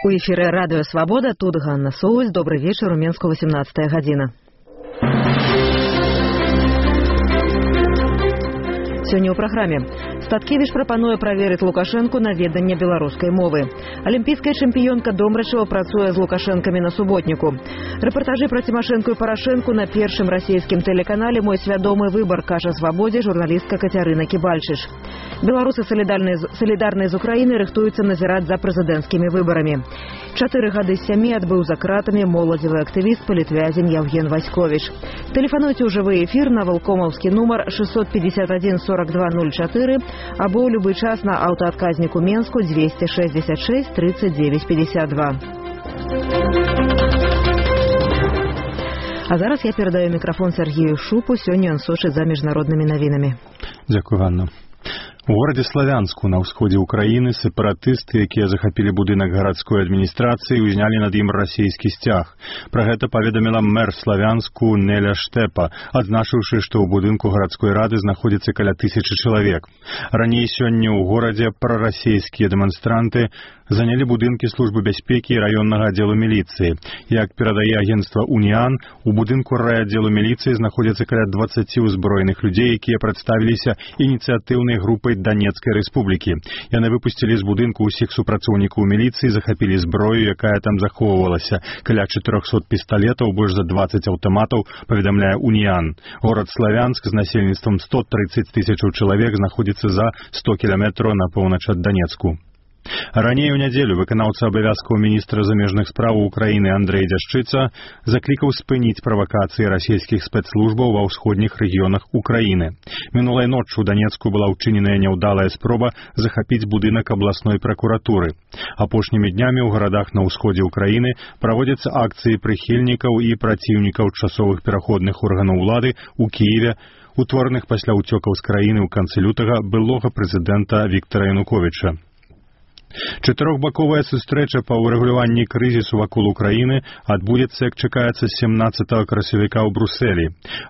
У эфіры радыё Свабода, тут Ганна Соўль. Добры вечар, у Менску 18 гадзіна. Сёння ў праграме. Статкевіч прапануе праверыць Лукашэнку на веданне беларускай мовы. Алімпійская чэмпіёнка Домрачева працуе з лукашэнкамі на суботніку. Рэпартажы пра Цімашэнку і Парашэнку на першым расійскім тэлеканале «Мой свядомы выбар», кажа Свабодзе журналістка Кацярына Кібальчыш. Беларусы салідарныя з Украінай рыхтуюцца назіраць за прэзідэнцкімі выбарамі. 4 гады з 7 адбыў за кратамі моладзевы актывіст палітвязень Яўген Васьковіч. Тэлефануйце ў жывы эфір на валкомаўскі нумар 651 4204 або ў любы час на аўтаадказніку Менску 266 39 52. А зараз я перадаю мікрафон Сергею Шупу. Сёння ён сочыць за міжнароднымі навінамі. Дзякуй, Ганна. У горадзе Славянску на ўсходзе ўкраіны сепаратысты, якія захапілі будынак гарадской адміністрацыі, узнялі над ім расійскі сцяг. Пра гэта паведаміла мэр Славянску Неля Штепа, адзначыўшы, што ў будынку гарадской рады знаходзіцца каля 1000 чалавек. Раней сёння ў горадзе прарасійскія дэманстранты занялі будынкі службы бяспекі і раённага аддзелу міліцыі. Як перадае агенцтва «Уніан», у будынку райаддзелу міліцыі знаходзяцца каля 20 узброеных людзей, якія прадставіліся ініцыятыўнай групай Данецкай рэспублікі. Яны выпусцілі з будынку ўсіх супрацоўнікаў міліцыі, захапілі зброю, якая там захоўвалася. Каля 400 пісталетаў, больш за 20 аўтаматаў, паведамляе «Уніан». Горад Славянск з насельніцтвам 130 000 чалавек знаходзіцца за 100 кіламетраў на поўнач ад Данецку. Раней у нядзелю выканаўца абавязкаў міністра замежных спраў Украіны Андрэй Дзяшчыца заклікаў спыніць правакацыі расійскіх спецслужбаў ва ўсходніх рэгіёнах Украіны. Мінулай ноччу ў Данецку была ўчыненая няўдалая спроба захапіць будынак абласной пракуратуры. Апошнімі днямі ў гарадах на ўсходзе Украіны праводзяцца акцыі прыхільнікаў і праціўнікаў часовых пераходных органаў улады ў Кіеве, утвораных пасля ўцёкаў з краіны ў канцы лютага былога прэзідэнта Віктара Януковіча. Чатырохбаковая сустрэча па ўрэгуляванні крызісу вакол Украіны адбудзецца, як чакаецца, 17 красавіка ў Брусэлі.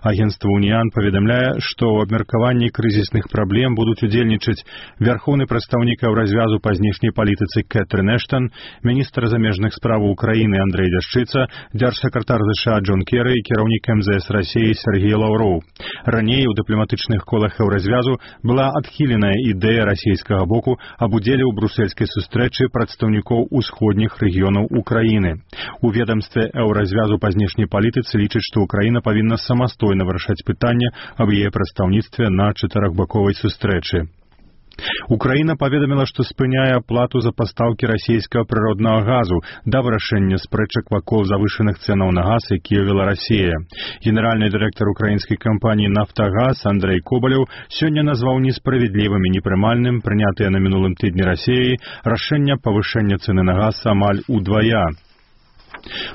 Агенцтва «Уніан» паведамляе, што ў абмеркаванні крызісных праблем будуць удзельнічаць вярхоўны прадстаўнік Еўразвязу па знешняй палітыцы Кэтрын Эштан, міністр замежных спраў Украіны Андрэй Дзяшчыца, дзяржсакратар ЗША Джон Керы і кіраўнік МЗС Расіі Сергей Лаўроў. Раней у дыпламатычных колах Еўразвязу была адхіленая ідэя расійскага боку аб удзеле ў брусельскай сустрэчы прадстаўнікоў усходніх рэгіёнаў Украіны. У ведамстве Еўразвязу па знешняй палітыцы лічаць, што Украіна павінна самастойна вырашаць пытанне аб яе прадстаўніцтве на чатырохбаковай сустрэчы. Украіна паведаміла, што спыняе аплату за пастаўкі расійскага прыроднага газу да вырашэння спрэчак вакол завышаных цэнаў на газ, якія вела Расія. Генеральны дырэктар украінскай кампаніі «Нафтагаз» Андрэй Кобалеў сёння назваў несправядлівым і непрымальным прынятыя на мінулым тыдні Расіяй рашэння павышэння цэны на газ амаль удвая.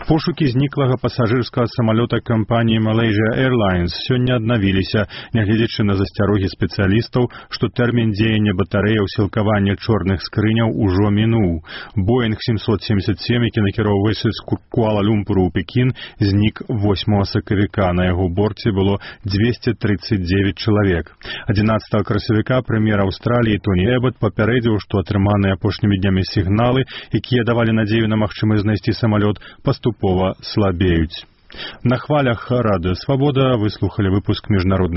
Пошукі зніклага пасажырскага самалёта кампаніі Malaysia Airlines сёння аднавіліся, нягледзячы на засцярогі спецыялістаў, што тэрмін дзеяння батарэяў сілкавання чорных скрыняў ужо мінуў. Boeing 777, які накіроўваўся з Куала-Люмпуру ў Пекін, знік 8 сакавіка. На яго борце было 239 чалавек. 11 красавіка прэм'ер Аўстраліі Тоні Эбат папярэдзіў, што атрыманыя апошнімі днямі сігналы, якія давалі надзею на магчымасць знайсці самалёт, паступова слабеюць. На хвалях радыё Свабода вы слухалі выпуск міжнародных